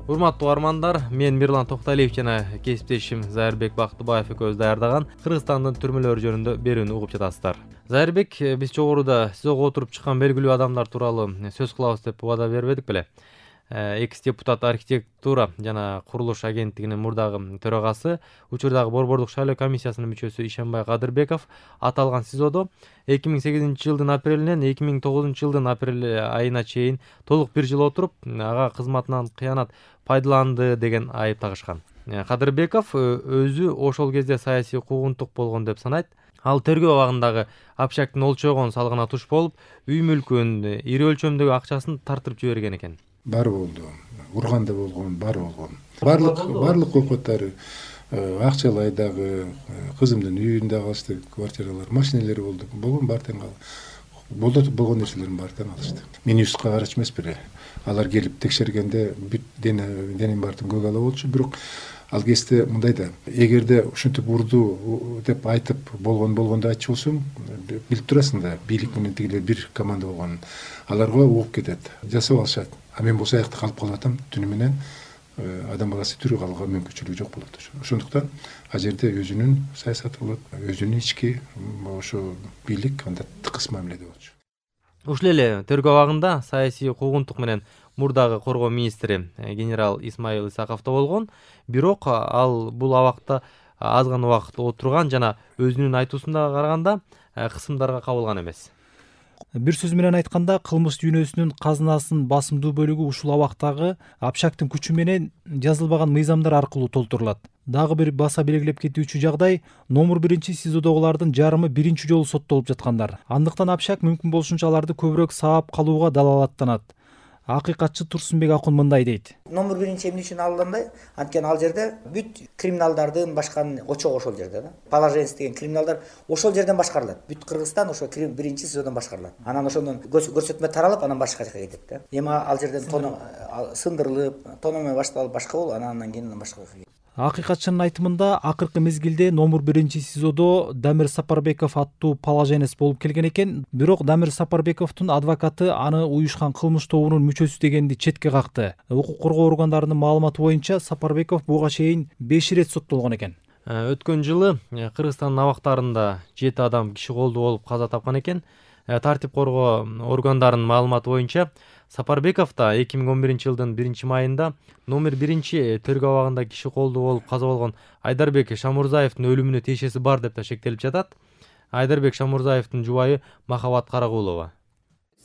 Урматтуу угармандар, мен Мирлан Токталиев жана кесиптешим Зайырбек Бактыбаев экөөбүз даярдаган Кыргызстандын түрмөлөрү жөнүндө берүүнү угуп жатасыздар. Зайырбек, биз жогоруда сизого отуруп чыккан белгилүү адамдар тууралуу сөз кылабыз деп убада бербедик беле? Экс-депутат архитектура жана курулуш агенттигинин мурдагы төрагасы, учурдагы Борбордук шайлоо комиссиясынын мүчөсү Ишенбай Кадырбеков аталган СИЗОдо 2008-жылдын апрелинен 2009-жылдын апрель айына чейин толук бир жыл отуруп, ага кызматынан кыянат пайдаланды деген айып тагышкан. Кадырбеков өзү ошол кезде саясий куугунтук болгон деп санайт. Ал тергөө абагындагы Абшактын олчогон салыгына туш болуп, үй мүлкүн, ири өлчөмдөгү акчасын тартырып жиберген экен. Баары болду. Урганда болгон, баары болгон. Барлык окуттары, Акчалайдагы, кызымдын үйүндө калышты квартиралар, машиналери болду. Болгон баары тең болгон нерселердин баары тең алышты. Мен үстү карачы эмес беле. Алар келип текшергенде бүт денем баардыгын көк ала болчу, бирок ал кезде мындай да, эгерде ушинтип урду деп айтып болгондо айтчу болсоң, билип турасың да, бийлик менен тигилер бир команда болгонун. Аларга угуп кетет, жасап алышат. А мен болсо аякта калып калатам, түнү менен адам баласы тирүү калууга мүмкүнчүлүгү жок болот. Ошондуктан ал жерде өзүнүн саясаты болот, өзүнүн ички ошо бийлик анда тыкыз мамиледе болчу. Ушул эле тергөө абагында саясий куугунтук менен мурдагы коргоо министри генерал Исмаил Исаковдо болгон, бирок ал бул абакта аз гана убакыт отурган жана өзүнүн айтуусуна караганда кысымдарга кабылган эмес. Бир сөз менен айтканда, кылмыш дүйнөсүнүн казынасынын басымдуу бөлүгү ушул абактагы Абшактын күчү менен жазылбаган мыйзамдар аркылуу толтурулат. Дагы бир баса белгилеп кетүүчү жагдай, номер 1 СИЗОдогулардын жарымы биринчи жолу соттолуп жаткандар. Андыктан Абшак мүмкүн болушунча аларды көбүрөөк саап калууга далалаттанат. Акыйкатчы Турсунбек Акун мындай дейт. Номер 1 эмне үчүн алынбай? Анткени ал жерде бүт криминалдардын башкан очогу ошол жерде да. Положенец деген криминалдар ошол жерден башкарылат. Бүт Кыргызстан ошо 1 СИЗОдон башкарылат. Анан ошондон көрсөтмө таралып, анан башка жака кетет да. Эми ал жерден сындырылып, тономой башталып башка болуп, анан кийин башка. Акыйкатчынын айтымында, акыркы мезгилде номер 1 СИЗОдо Дамир Сапарбеков аттуу положенец болуп келген экен, бирок Дамир Сапарбековдун адвокаты аны уюшкан кылмыш тобунун мүчөсү дегенди четке какты. Укук коргоо органдарынын маалыматы боюнча Сапарбеков буга чейин 5 ирет соттолгон экен. Өткөн жылы Кыргызстандын абактарында 7 адам киши колдуу болуп каза тапкан экен. Тартип коргоо органдарынын маалыматы боюнча Сапарбеков да 2011-жылдын 1-майында номер 1 тергөө абагында киши колдуу болуп каза болгон Айдарбек Шамурзаевдин өлүмүнө тиешеси бар деп да шектелип жатат. Айдарбек Шамурзаевдин жубайы Махабат Карагулова.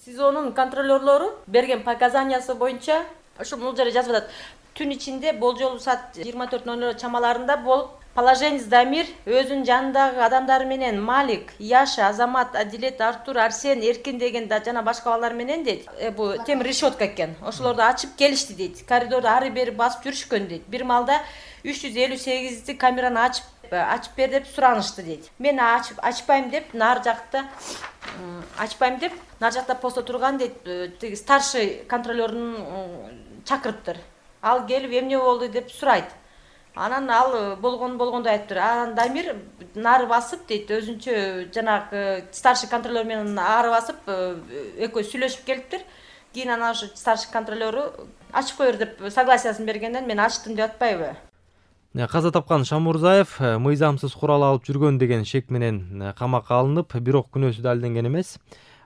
СИЗОнун контролерлору берген показаниясы боюнча ушул жерде жазып атат. Түн ичинде болжолу саат 24:00 чамаларында болуп, положенец Дамир өзүнүн жанындагы адамдары менен Малик, Яша, Азамат, Адилет, Артур, Арсен, Эркин деген да жана башка балдар менен дейт. Бул темир решетка экен. Ошолорду ачып келишти дейт. Коридорду ары бери басып жүрүшкөн дейт. Бир маалда 358 камераны ачып бер деп суранышты дейт. Мен ачпайм деп нар жакта посто турган дейт. Тиги старший контролердун чакырыптыр. Ал келип эмне болду деп сурайт. Анан ал болгондой айтыптыр. Анан Дамир нары басып дейт, өзүнчө жанагы старший контролер менен ары басып, экөө сүйлөшүп келиптир. Кийин анан ошо старший контролеру ачып коер деп согласиясын бергенден мен ачтым деп атпайбы? Каза тапкан Шамурзаев мыйзамсыз курал алып жүргөн деген шек менен камакка алынып, бирок күнөөсү далилденген эмес.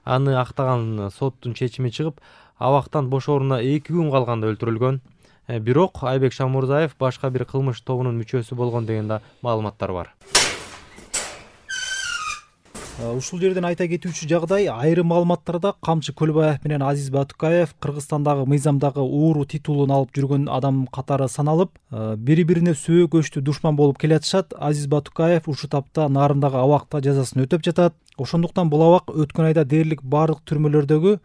Аны актаган соттун чечими чыгып, абактан бошооруна 2 күн калганда өлтүрүлгөн. Бирок Айбек Шамурзаев башка бир кылмыш тобунун мүчөсү болгон деген да маалыматтар бар. Ушул жерден айта кетүүчү жагдай, айрым маалыматтарда Камчы Көлбаев менен Азиз Батукаев Кыргызстандагы мыйзамдагы ууру титулун алып жүргөн адам катары саналып, бири-бирине сөөк көчтүү душман болуп келатышат. Азиз Батукаев ушул тапта Нарымдагы абакта жазасын өтөп жатат. Ошондуктан бул абак өткөн айда дээрлик бардык түрмөлөрдөгү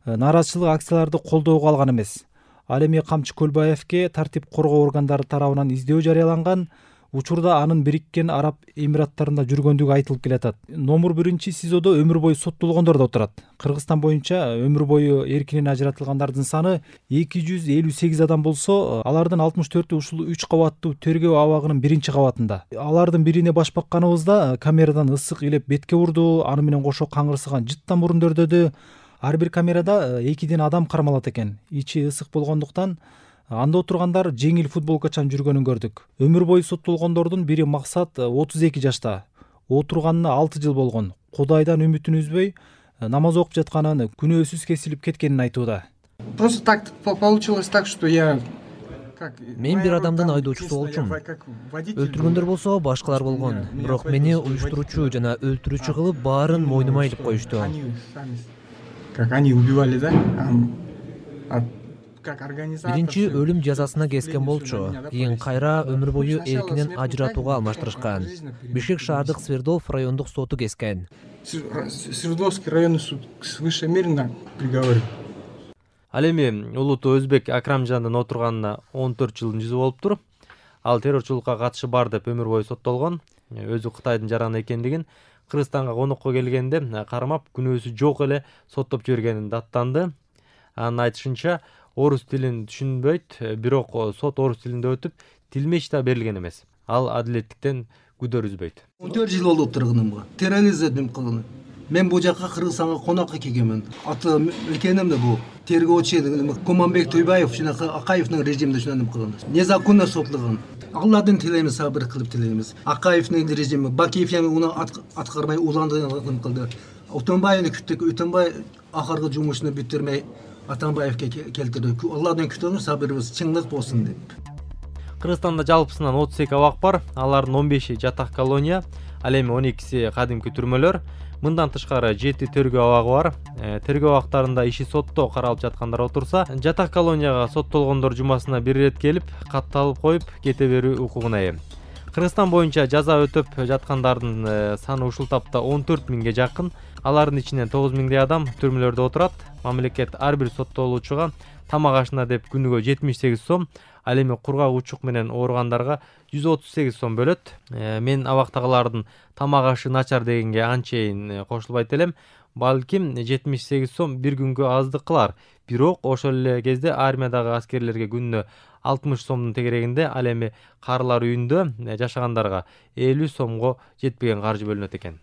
нааразычылык акцияларды колдоого алган эмес. Ал эми Камчы Көлбаевке тартип коргоо органдары тарабынан издөө жарыяланган. Учурда анын Бириккен Араб Эмираттарында жүргөндүгү айтылып келатат. Номер 1 СИЗОдо өмүр бою соттолгондор да отурат. Кыргызстан боюнча өмүр бою эркинен ажыратылгандардын саны 258 адам болсо, алардын 64-ü ушул 3 кабаттуу тергөө абагынын 1-кабатында. Алардын бирине баш бакканыбызда камерадан ысык илеп бетке урду, аны менен кошо каңгырсыган жыттан мурундөдө. Ар бир камерада 2 адам кармалат экен. Ичи ысык болгондуктан Анда отургандар жеңил футболкачан жүргөнүн көрдүк. Өмүр бою соттолгондордун бири Максат 32 жашта. Отурганына 6 жыл болгон. Кудайдан үмүтүн үзбөй, намаз окуп жатканын, күнөөсүз кесилип кеткенин айтууда. Просто так получилось так, что я Мен бир адамдын айдоочусу болчумун. Өлтүргөндөр болсо башкалар болгон. Бирок мени уюштуруучу жана өлтүрүүчү кылып баарын мойнума илип коюшту. Как они убивали, да? Биринчи өлүм жазасына кескен болчу. Кийин кайра өмүр бою эркинен ажыратууга алмаштырышкан. Бишкек шаардык Свердлов райондук соту кескен. Свердловский районный суд свыше мерно приговорил. Ал эми улуттуу өзбек Акрамжандын отурганына 14 жылдын жүзү болуптур. Ал террорчулукка катышы бар деп өмүр бою соттолгон. Өзү Кытайдын жараны экендигин, Кыргызстанга конокко келгенде кармап күнөөсү жок эле соттоп жибергенин даттанды. Анын айтышынча, орус тилин түшүнбөйт, бирок сот орус тилинде өтүп, тилмеч да берилген эмес. Ал адилеттиктен күдөр үзбөйт. 14 жыл болуп турганымга терроризм кылган. Мен бул жака Кыргызстанга конокко келгенмин. Аты экеним да бул тергөөчү Куманбек Туйбаев жана Акаевдин режиминде шундай кылган. Незаконно соттолгон. Алладан тилеймиз, сабыр кылып тилеймиз. Акаевдин режими, Бакиев уну аткармай уландырган кылды. Утунбаевни күттүк, Утунбай акыркы жумушуну бүтүрмөй Атамбаевге келтирди. Алладан күтөңүз, сабырыбыз чыңдык болсун деп. Кыргызстанда жалпысынан 32 абак бар. Алардын 15-и жатак колония, ал эми 12-си кадимки түрмөлөр. Мындан тышкары 7 тергөө абагы бар. Тергөө абактарында иши сотто каралып жаткандар отурса, жатак колонияга соттолгондор жумасына бир ирет келип, катталып коюп кете берүү укугуна ээ. Кыргызстан боюнча жаза өтөп жаткандардын саны ушул тапта 14 миңге жакын. Алардын ичинен 9 миңдей адам түрмөлөрдө отурат. Мамлекет ар бир соттолуучуга тамак ашына деп күнүгө 78 сом, ал эми кургак учук менен ооругандарга 138 сом бөлөт. Мен абактагылардын тамак ашы начар дегенге анчейин кошулбайт элем. Балким 78 сом бир күнгө аздык кылар. Бирок ошол эле кезде армиядагы аскерлерге күнүнө 60 сомдун тегерегинде, ал эми карылар үйүндө жашагандарга 50 сомго жетпеген каржы бөлүнөт экен.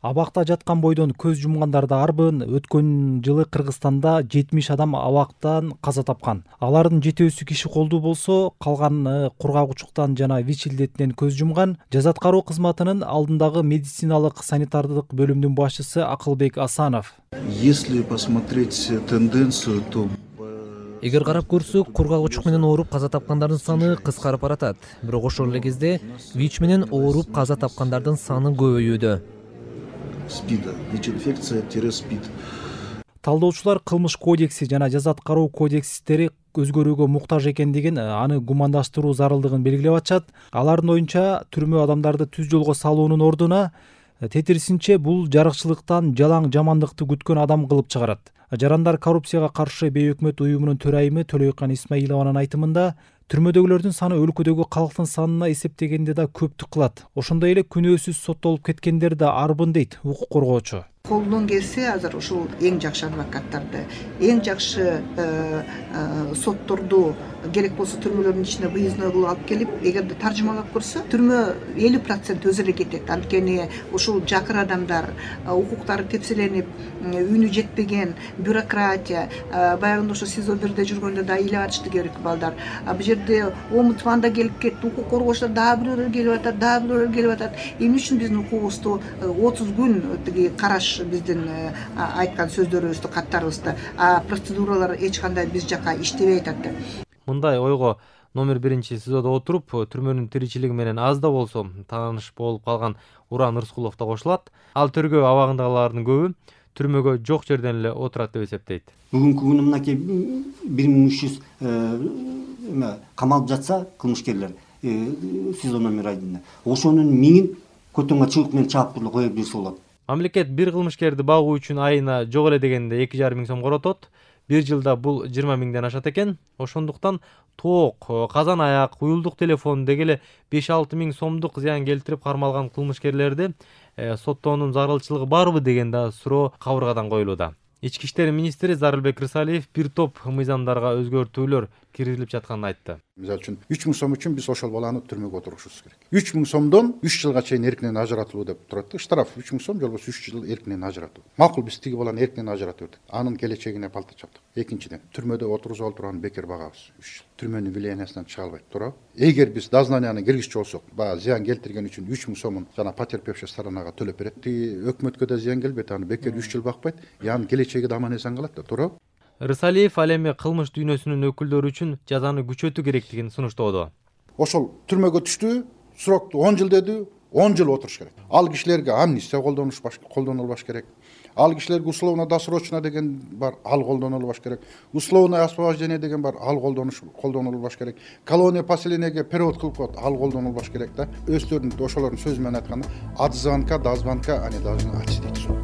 Абакта жаткан бойдон көз жумгандарды арбын. Өткөн жылы Кыргызстанда 70 адам абактан каза тапкан. Алардын 7-сү киши колдуу болсо, калган кургак учуктан жана ВИЧ илдетинен көз жумган. Жаза аткаруу кызматынын алдындагы медициналык санитардык бөлүмдүн башчысы Акылбек Асанов. Если посмотреть тенденцию, то Эгер карап көрсөк, кургак учук менен ооруп каза тапкандардын саны кыскарып баратат. Бирок ошол эле кезде ВИЧ менен ооруп каза тапкандардын саны көбөйүүдө. СПИДа, ВИЧ-инфекция-СПИД. Талдоочулар кылмыш кодекси жана жаза аткаруу кодекстери өзгөрүүгө муктаж экендигин, аны гумандаштыруу зарылдыгын белгилеп атышат. Алардын оюнча, түрмө адамдарды түз жолго салуунун ордуна тетирисинче бул жарыкчылыктан жалаң жамандыкты күткөн адам кылып чыгарат. Жарандар коррупцияга каршы бейөкмөт уюмунун төрайымы Төлөйкан Исмаилованын айтымында, түрмөдөгүлөрдүн саны өлкөдөгү калктын санына эсептегенде да көптүк кылат. Ошондой эле күнөөсүз соттолуп кеткендер да арбын дейт укук коргоочу. Колдон келсе азыр ушул эң жакшы адвокаттарды, эң жакшы сотторду керек болсо түрмөлөрдүн ичине выездной кылып алып келип, эгерде таржымалап көрсө, түрмө 50% өзү эле кетет. Анткени ушул жакыр адамдар, укуктары тепселенип, үнү жетпеген бюрократия, баягында ошо СИЗО 1де жүргөндө да ыйлап атышты керек балдар. Бул жерде омбудсман да келип кетти, укук коргоочулар дагы бирөөлөр келип атат, дагы бирөөлөр келип атат. Эмне үчүн биздин укугубузду 30 күн тиги караш биздин айткан сөздөрүбүздү, каттарыбызды, процедуралар эч кандай биз жака иштебей атат. Мындай ойго номер 1 СИЗОдо отуруп, түрмөнүн тиричилиги менен аз да болсо тааныш болуп калган Уран Рыскулов да кошулат. Ал тергөө абагындагылардын көбү түрмөгө жок жерден эле отурат деп эсептейт. Бүгүнкү күнү мынакей 1300 камалып жатса кылмышкерлер СИЗО номер 1, ошонун 1000 көтөнгө чыгып менен чаап туруп кое берсе болот. Мамлекет бир кылмышкерди багуу үчүн айына жок эле дегенде 2,5 миң сом коротот. Бир жылда бул 20 миңден ашат экен. Ошондуктан тоок, казан аяк, уюлдук телефон дегеле 5-6 миң сомдук зыян келтирип кармалган кылмышкерлерди соттоонун зарылчылыгы барбы деген да суроо кабыргадан коюлууда. Ички иштер министри Зарылбек Рысалиев бир топ мыйзамдарга өзгөртүүлөр киргизилип жатканын айтты. Мисалы үчүн 3000 сом үчүн биз ошол баланы түрмөгө отурушубуз керек. 3000 сомдон 3 жылга чейин эркинен ажыратылуу деп турат да. Штраф 3000 сом же болбосо 3 жыл эркинен ажыратуу. Макул, биз тиги баланы эркинен ажыратып бердик. Анын келечегине балта чаптык. Экинчиден, түрмөдө отургузуп отурганын бекер багабыз. 3 жыл. Түрмөнүн влияниясынан чыга албайт, туурабы? Эгер биз дознанияны киргизчү болсок, баягы зыян келтирген үчүн 3000 сомун жана потерпевший сторонага төлөп берет. Тиги өкмөткө да зыян келбейт, аны бекер 3 жыл бакпайт. Анын келечеги да аман эсен калат да, туурабы? Рысалиев ал эми кылмыш дүйнөсүнүн өкүлдөрү үчүн жазаны күчөтүү керектигин сунуштоодо. Ошол түрмөгө түштү, срокту 10 жыл деди, 10 жыл отуруш керек. Ал кишилерге амнистия колдонулбаш керек. Ал кишилерге условно досрочно деген бар, ал колдонулбаш керек. Условное освобождение деген бар, ал колдонулбаш керек. Колония поселениеге перевод кылып коет, ал колдонулбаш керек да. Өздөрүнүн ошолордун сөзү менен айтканда, от звонка до звонка они должны отсидеть суд.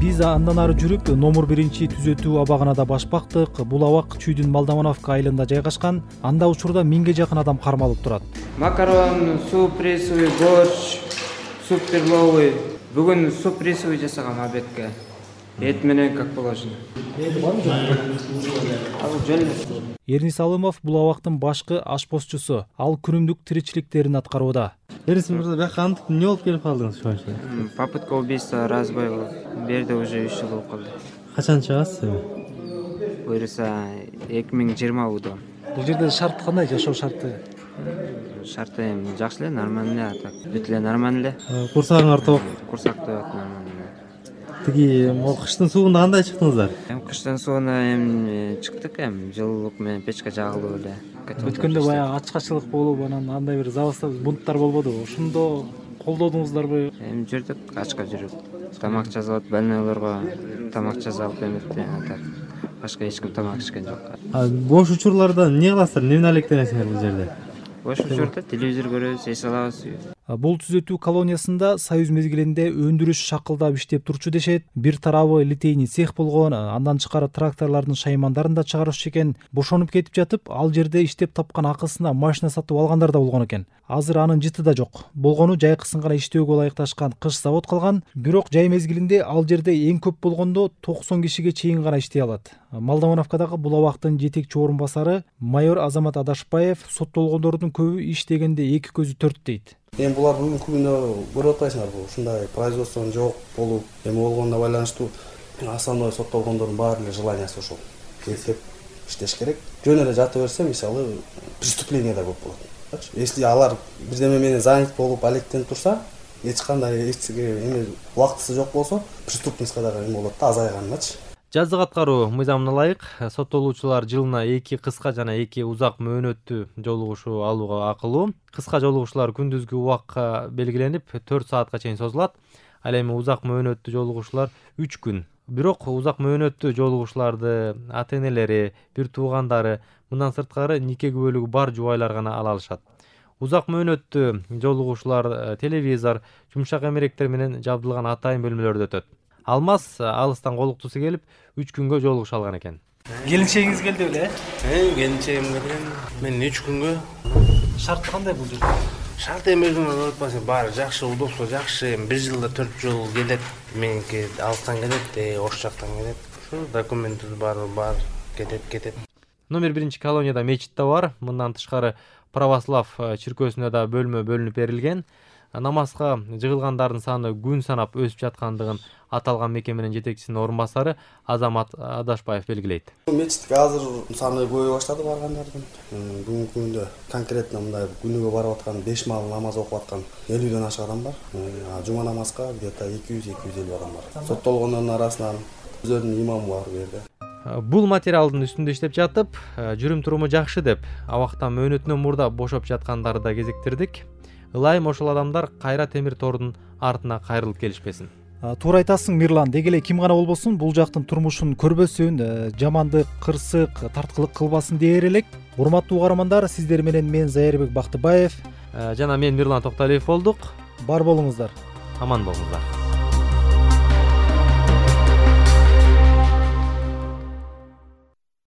Биз андан ары жүрүп номер 1 түзөтүү абагына баш бактык. Бул абак Чүйдүн Молдомановка айылында жайгашкан. Анда учурда 1000ге жакын адам кармалып турат. Макарон, суп рисовый, борщ, суп перловый. Бүгүн суп рисовый жасаган обедке. Эт менен как положено. Эрнис Алымов бул абактын башкы ашпозчусу. Ал күнүмдүк тиричиликтерин аткарууда. Эрнис мырза, бияка антип эмне болуп келип калдыңыз ошончо? Попытка убийства, разбой болуп. Берде уже 3 жыл болуп калды. Качан чыгасыз? Буюрса 2020 жылда. Бул жерде шарт кандай, жашоо шарты? Шарты эми жакшы эле, нормально эле, так. Бүт эле нормально эле. Курсагыңар ток. Курсак тоет нормально. Тиги кыштын суугунда кандай чыктыңыздар? Кыштын сууна чыктык, жылуулук менен печке жагылып эле. Өткөндө баягы ачкачылык болуп, анан андай бир забастар бунттар болбодубу? Ошондо колдодуңуздарбы? Жүрдүк, ачка жүрүп. Тамак жасап, больнойлорго тамак жасап эметти. Башка эч ким тамак ичкен жок. Бош учурларда эмне кыласыздар? Эмне алектенесиңер бул жерде? Бош учурда телевизор көрөбүз, эс алабыз. Бул түзөтүү колониясында союз мезгилинде өндүрүш шакылдап иштеп турчу дешет. Бир тарабы литейный цех болгон, андан тышкары тракторлордун шаймандарын да чыгаруучу экен. Бошонуп кетип жатып, ал жерде иштеп тапкан акысына машина сатып алгандар да болгон экен. Азыр анын жыты да жок. Болгону жайкысын гана иштөөгө ылайыкташкан кыш завод калган. Бирок жай мезгилинде ал жерде эң көп болгондо 90 кишиге чейин гана иштей алат. Молдомановкадагы бул абактын жетекчи орун басары майор Азамат Адашбаев соттолгондордун көбү иш дегенде эки көзү төрт дейт. Эми булар бүгүнкү күндө көрүп атпайсыңар, бул ушундай производствонун жок болуп, эми болгонуна байланыштуу основной соттолгондордун баары эле желаниясы ошол. Эстеп иштеш керек. Жөн эле жата берсе, мисалы, преступление да көп болот. Если алар бирдеме менен занят болуп, алектенип турса, эч кандай эми убактысы жок болсо, преступностька дагы эме болот да, азайганычы. Жаздык аткаруу мыйзамына ылайык соттолуучулар жылына 2 кыска жана 2 узак мөөнөттүү жолугушуу алууга акылуу. Кыска жолугушуулар күндүзгү убакка белгиленип 4 саатка чейин созулат. Ал эми узак мөөнөттүү жолугушуулар 3 күн. Бирок узак мөөнөттүү жолугушууларды ата-энелери, бир туугандары, мындан сырткары нике күбөлүгү бар жубайлар гана ала алышат. Узак мөөнөттүү жолугушуулар телевизор, жумшак эмеректер менен жабдылган атайын бөлмөлөрдө өтөт. Алмаз алыстан колуктусу келип 3 күнгө жолугуша алган экен. Келинчегиңиз келди беле? Келинчегим келген. Мен 3 күнгө. Шарт кандай бул жерде? Шарт эми өзүңөр айтпасаң баары жакшы, удобство жакшы. 1 жылда 4 жолу келет. Меники алыстан келет, ош жактан келет. Ушу документтер бар, кетет. Номер 1 колонияда мечит да бар. Мындан тышкары православ чиркөөсүнө да бөлмө бөлүнүп берилген. Намазга жыгылгандардын саны күн санап өсүп жаткандыгын аталган мекеменин жетекчисинин орун басары Азамат Адашбаев белгилейт. Мечитке азыр саны көбөйө баштады баргандардын. Бүгүнкү күндө конкретно мындай күнүгө барып аткан 5 маал намаз окуп аткан 50ден ашык адам бар. Жума намазга где-то 200-250 адам бар. Соттолгондордун арасынан өзүнүн имамы бар бу жерде. Бул материалдын үстүндө иштеп жатып, жүрүм туруму жакшы деп, абактан мөөнөтүнөн мурда бошоп жаткандарды да кезиктирдик. Ылайым ошол адамдар кайра темир тордун артына кайрылып келишпесин. Туура айтасың, Мирлан. Деги эле ким гана болбосун, бул жактын турмушун көрбөсүн, жамандык, кырсык, тарткылык кылбасын дээр элек. Урматтуу угармандар, сиздер менен мен Зайырбек Бактыбаев жана мен Мирлан Токталиев болдук. Бар болуңуздар. Аман болуңуздар.